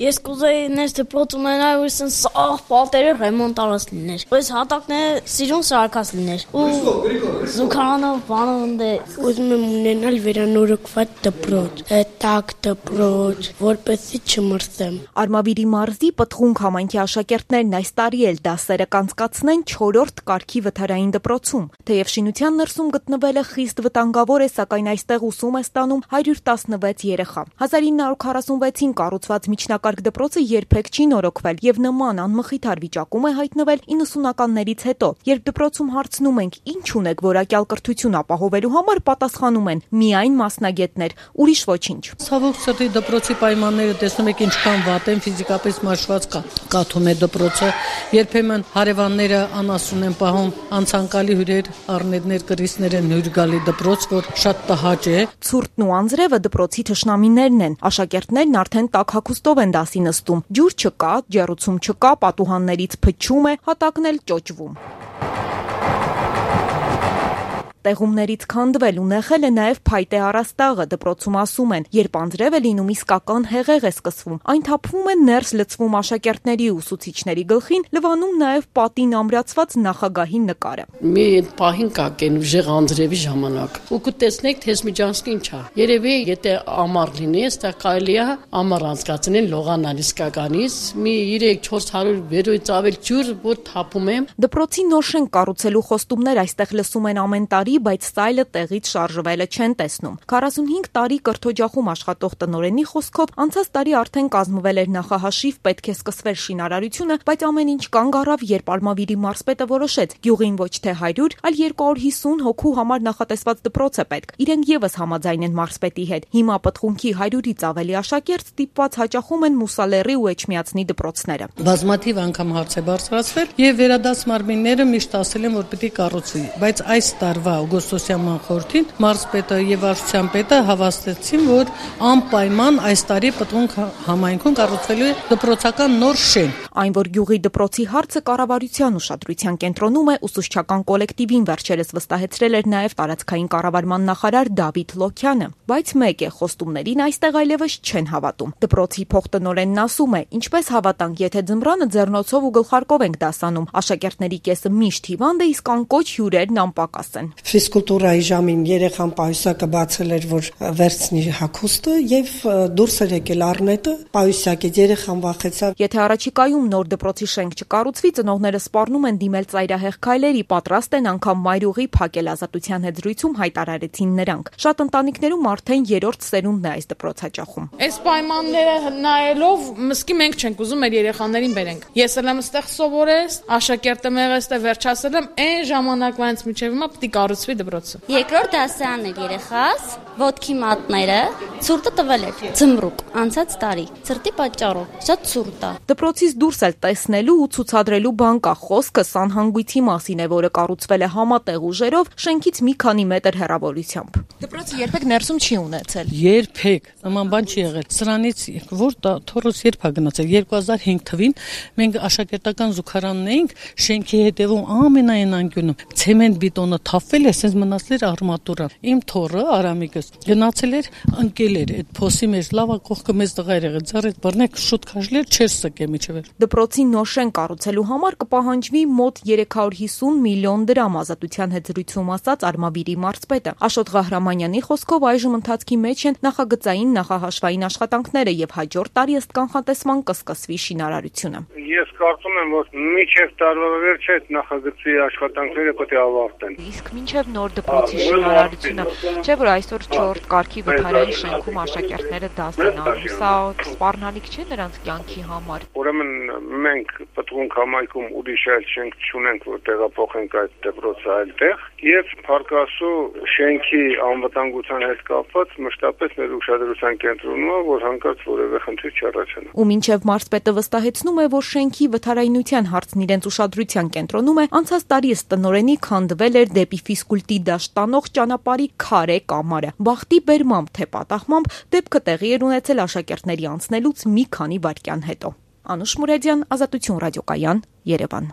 Ես կուզեի ներս դպրոց ունենալ ու ասեն սաղ պատերը ռեմոնտարած լիներ։ Բայց հատակները սիրուն սարքած լիներ։ Ու զուգարանով բանով ընդ ուզում եմ ունենալ վերանորոգված դպրոց, տաք դպրոց, որպեսզի չմրսեմ։ Արմավիրի մարզի Պտղունք համայնքի աշակերտներն այս տարի էլ դասերը կանցկացնեն 4-րդ կարգի վթարային դպրոցում։ Թեև շինության ներսում գտնվելը խիստ վտանգավոր է, սակայն այստեղ ուսում է ստանում 116 երեխա։ 1946-ին կառուցված միջնակարգ դպրոցը երբեք չի նորոգվել եւ նման անմխիթար վիճակում է հայտնվել 90-ականներից հետո։ Երբ դպրոցում հարցնում ենք ինչ ունեք որակյալ կրթություն ապահովելու համար, պատասխանում են միայն մասնագետներ, ուրիշ ոչինչ։ Ցավոք սրտի դպրոցի պայմանները տեսնում եք ինչքան վատ են, ֆիզիկապես մաշված կաթում է դպրոցը, երբեմն հարևանները անասուն են պահում, անցանկալի հյուրեր, առնետներ, կրիստներ են հյուր գալի դպրոց, որ շատ տհաճ է։ Ցուրտն ու անձրևը դպրոցի թշնամիներն են։ Աշակերտներն արդեն տաք հագուստով են դասի նստում։ Ջուր չկա, ջեռուցում չկա, պատուհաններից փչում է, հատակն էլ ճոճվում։ Տեղումներից քանդվել ու նեղել է նաև փայտե առաստաղը, դպրոցում ասում են, երբ անձրև է լինում իսկական հեղեղ է սկսվում, այն թափվում է ներս լցվում աշակերտների ու ուսուցիչների գլխին, լվանում նաև պատին ամրացված նախագահի նկարը։ Մի պահին կակեն ուժեղ անձրևի ժամանակ, ու կտեսնեք թե Սմիջանսկին չա։ Երևի եթե ամառ լինի, այստեղ կարելի է ամառ անցկացնել լողանալ իսկականից, մի 3-400 վերոյից ավել ջուր, որ թափում է։ Դպրոցի նոր շենք կառուցելու խոստումներ այստեղ լսում են ամեն տարի, բայց սայլը տեղից շարժվելը չեն տեսնում։ 45 տարի կրթօջախում աշխատող տնօրենի խոսքով անցած տարի արդեն կազմվել էր նախահաշիվ, պետք է սկսվեր շինարարությունը, բայց ամեն ինչ կանգ առավ, երբ Արմավիրի մարզպետը որոշեց գյուղին ոչ թե 100, այլ 250 հոգու համար նախատեսված դպրոց է պետք։ Իրենք եւս համաձայն են մարզպետի հետ։ Հիմա Պտղունքի 100-ից ավելի աշակերտ ստիպված հաճախում են Մուսալեռի ու Էջմիածնի դպրոցները։ Բազմաթիվ անգամ հարց է բարձրացվել եւ վերադաս մարմինները միշտ ասել են, որ պիտի կառուցվի, բայց այս տարվա օգոստոսյան խորհրդին մարզպետը եւ վարչության պետը հավաստեցին, որ անպայման այս տարի Պտղունք համայնքում կառուցվելու է դպրոցական նոր շենք։ Այն, որ գյուղի դպրոցի հարցը կառավարության ուշադրության կենտրոնում է, ուսուցչական կոլեկտիվին վերջերս վստահեցրել էր նաև տարածքային կառավարման նախարար Դավիթ Լոքյանը, բայց մեկ է, խոստումներին այստեղ այլևս չեն հավատում։ Դպրոցի փոխտնօրենն ասում է, ինչպես հավատանք, եթե ձմռանը ձեռնոցով ու գլխարկով ենք դասանում, աշակերտների կեսը միշտ հիվանդ է, իսկ անկոչ հյուրերն անպակաս են։ Ֆիզկուլտուրայի ժամին երեխան պայուսակը բացել էր, որ վերցնի հագուստը եւ դուրս էր եկել առնետը, պայուսակից երեխան վախեցավ։ Եթե առաջիկայում նոր դպրոցի շենք չկառուցվի, ծնողները սպառնում են դիմել ծայրահեղ քայլերի, պատրաստ են անգամ մայրուղի փակել Ազատության հետ զրույցում հայտարարեցին նրանք։ Շատ ընտանիքներում արդեն 3-րդ սերունդն է այս դպրոց հաճախում։ Այս պայմանները նայելով մսկի մենք չենք ուզում մեր երեխաներին բերենք։ Ես էլ եմ այստեղ սովորել, աշակերտը մեղը այստեղ վերջացել եմ, այն ժամանակվանից մինչև հիմա պիտի կառուցվի դպրոցը։ Երկրորդ դասարանն էր երեխաս, ոտքի մատները, ցուրտը տվել էր, ձմռուկ, անցած տարի, ցրտի պատճառով, շատ ցուրտ է։ Դպրոցից դուրս էլ տեսնելու ու ցուցադրելու բան կա, խոսքը սանհանգույցի մասին է, որը կառուցվել է համատեղ ուժերով, շենքից մի քանի մետր հեռավորությամբ։ Դպրոցը երբեք ներսում չի ունեցել։ Երբեք, նման բան չի եղել։ Սրանից որ թորոս երբ է գնացել 2005 թվին մենք աշակերտական զուգարանն էինք, շենքի հետևում ամենայն անկյունում ցեմենտ բետոնը թափվել է, ասես մնացել էր արմատուրա։ Իմ թորը Արամիկս գնացել էր, ընկել էր այդ փոսի մեջ, լավա կողքը մեծ տղա էր եղել, ձեռդ բռնեք շուտ քաշլեր, չեր սկե միջև։ Դպրոցի նոր շենք կառուցելու համար կպահանջվի մոտ 350 միլիոն դրամ, Ազատության հետ զրույցում ասաց Արմավիրի մարզպետը։ Աշոտ Ղահրամանյանի խոսքով այժմ ընթացքի մեջ են նախագծային նախահաշվային աշխատանքները եւ հաջորդ տարի ըստ կանխատեսման կսկսվի շինարարությունը։ Ես կարծում եմ, որ մինչև տարվա վերջը այդ նախագծի աշխատանքները պետք է ավարտեն։ Իսկ մինչև նոր դպրոցի շինարարությունը, չէ՞ որ այսօր 4-րդ կարգի վթարային շենքում աշակերտները դաս են անում, սա սպառնալիք չէ նրանց կյանքի համար։ Ուրեմն մենք Պտղունք համայնքում ուրիշ այլ շենք չունենք, որ տեղափոխենք այդ դպրոցը այլտեղ, եւ Փարքասու շենքի անվտանգության հետ կապված մշտապես մեր ուշադրության կենտրոնում է, որ հանկարծ որևէ խնդիր չառաջանա։ Ու մինչև մարզպետը վստահեցնում է, որ շենքի վթարայնության հարցն իրենց ուշադրության կենտրոնում է, անցած տարի ըստ տնօրենի քանդվել էր դեպի ֆիզկուլտի դաշտ տանող ճանապարհի քարե կամարը։ Բախտի բերմամբ թե պատահմամբ դեպքը տեղի էր ունեցել աշակերտների անցնելուց մի քանի վայրկյան հետո։ Անուշ Մուրեդյան, Ազատություն ռադիոկայան, Երևան։